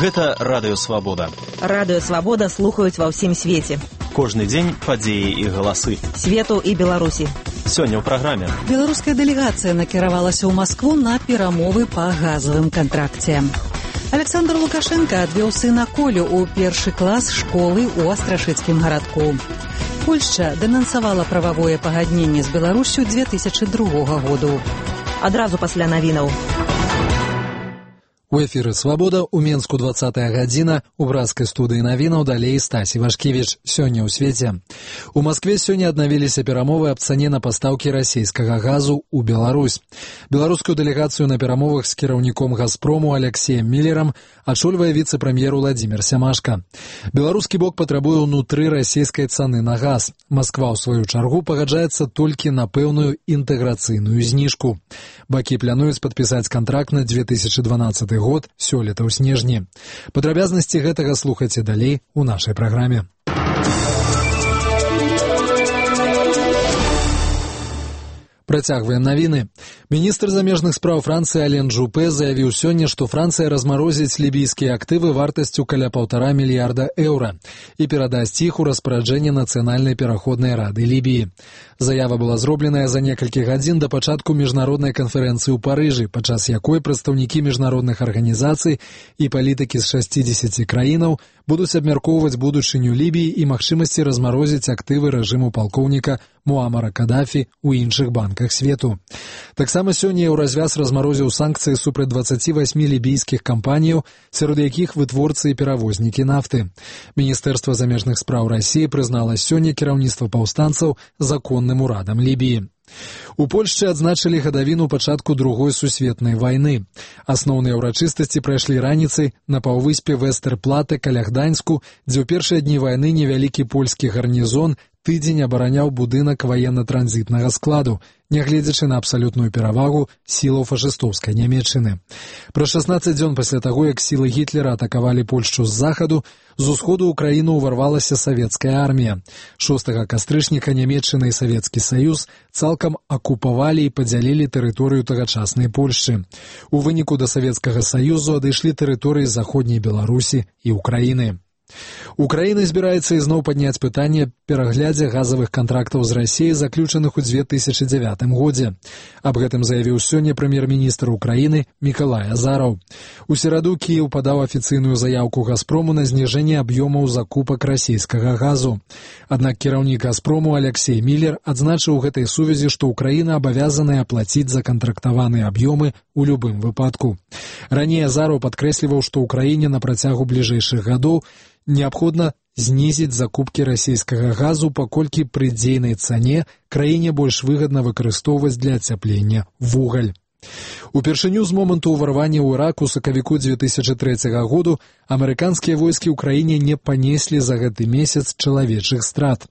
Гэта Радыё Свабода. Радыё Свабода слухаюць ва ўсім свеце. Кожны дзень падзеі і галасы. Свету і Беларусі. Сёння ў праграме. Беларуская дэлегацыя накіравалася ў Маскву на перамовы па газавым кантракце. Александр Лукашенко адвёў сына Колю ў першы клас школы ў Астрашыцкім гарадку. Польшча дэнансавала прававое пагадненне з Беларуссю 2002 году. Адразу пасля навінаў. У эфіры «Свабода» у Менску 20-я гадзіна, у бразкай студыі навінаў далей Стасі Вашкевіч. Сёння ў свеце. У Маскве сёння аднавіліся перамовы аб цане на пастаўкі расійскага газу ў Беларусь. Беларускую дэлегацыю на перамовах з кіраўніком «Газпрому» Алексеем Міллерам ачольвае віцэ-прэм'ер Уладзімір Сямашка. Беларускі бок патрабуе ўнутры расійскай цаны на газ. Масква, ў сваю чаргу, пагаджаецца толькі на пэўную інтэграцыйную зніжку. Бакі плануюць падпісаць кантракт на 2012 год сёлета ў снежні. Падрабязнасці гэтага слухайце далей у нашай праграме. Працягваем навіны. Міністр замежных спраў Францыі Ален Жупе заявіў сёння, што Францыя размарозіць лібійскія актывы вартасцю каля 1,5 мільярда еўра і перадасць іх у распараджэнне Нацыянальнай пераходнай рады Лібіі. Заява была зробленая за некалькі гадзін да пачатку міжнароднай канферэнцыі ў Парыжы, падчас якой прадстаўнікі міжнародных арганізацый і палітыкі з 60 краінаў будуць абмяркоўваць будучыню Лібіі і магчымасці размарозіць актывы рэжыму палкоўніка Муамара Кадафі ў іншых банках свету. Таксама сёння Еўразвяз размарозіў санкцыі супраць 28 лібійскіх кампаніяў, сярод якіх вытворцы і перавознікі нафты. Міністэрства замежных спраў Расіі прызнала сёння кіраўніцтва паўстанцаў законным урадам Лібіі. У Польшчы адзначылі гадавіну пачатку Другой сусветнай вайны. Асноўныя ўрачыстасці прайшлі раніцай на паўвыспе Вестэрплате каля Гданьску, дзе ў першыя дні вайны невялікі польскі гарнізон тыдзень абараняў будынак ваенна-транзітнага складу, нягледзячы на абсалютную перавагу сілаў фашыстоўскай Нямецчыны. Праз 16 дзён пасля таго, як сілы Гітлера атакавалі Польшчу з захаду, з усходу ў краіну ўварвалася савецкая армія. 6 кастрычніка Нямецчына і Савецкі Саюз цалкам акупавалі і падзялілі тэрыторыю тагачаснай Польшчы. У выніку да Савецкага Саюзу адышлі тэрыторыі заходняй Беларусі і Украіны. Украіна збіраецца ізноў падняць пытанне пераглядзе газавых кантрактаў з Расіяй, заключаных у 2009 годзе. Аб гэтым заявіў сёння прэм'ер-міністр Украіны Мікалай Азараў. У сераду Кіеў падаў афіцыйную заяўку «Газпрому» на зніжэнне аб'ёмаў закупак расійскага газу. Аднак кіраўнік «Газпрому» Алексей Міллер адзначыў у гэтай сувязі, што Украіна абавязаная аплаціць закантрактаваныя аб'ёмы у любым выпадку. Раней Азараў падкрэсліваў, што Украіне на працягу бліжэйшых гадоў неабходна знізіць закупкі расійскага газу, паколькі пры дзейнай цане краіне больш выгадна выкарыстоўваць для ацяплення вугаль. Упершыню з моманту ўварвання ў Ірак у сакавіку 2003 году амерыканскія войскі ў краіне не панеслі за гэты месяц чалавечых страт.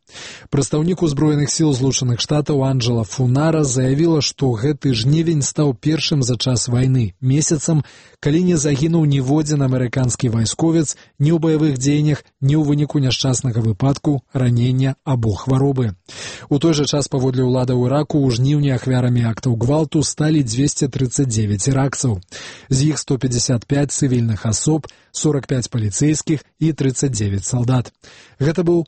Прадстаўнік узброеных сіл Злучаных Штатаў Анджела Фунара заявіла, што гэты жнівень стаў першым за час вайны месяцам, калі не загінуў ніводзін амерыканскі вайсковец ні ў баявых дзеяннях, ні ў выніку няшчаснага выпадку, ранення або хваробы. У той жа час паводле ўлады ў Іраку ў жніўні ахвярамі актаў гвалту сталі 239 іракцаў. З іх 155 цывільных асоб, 45 паліцэйскіх і 39 салдат. Гэта быў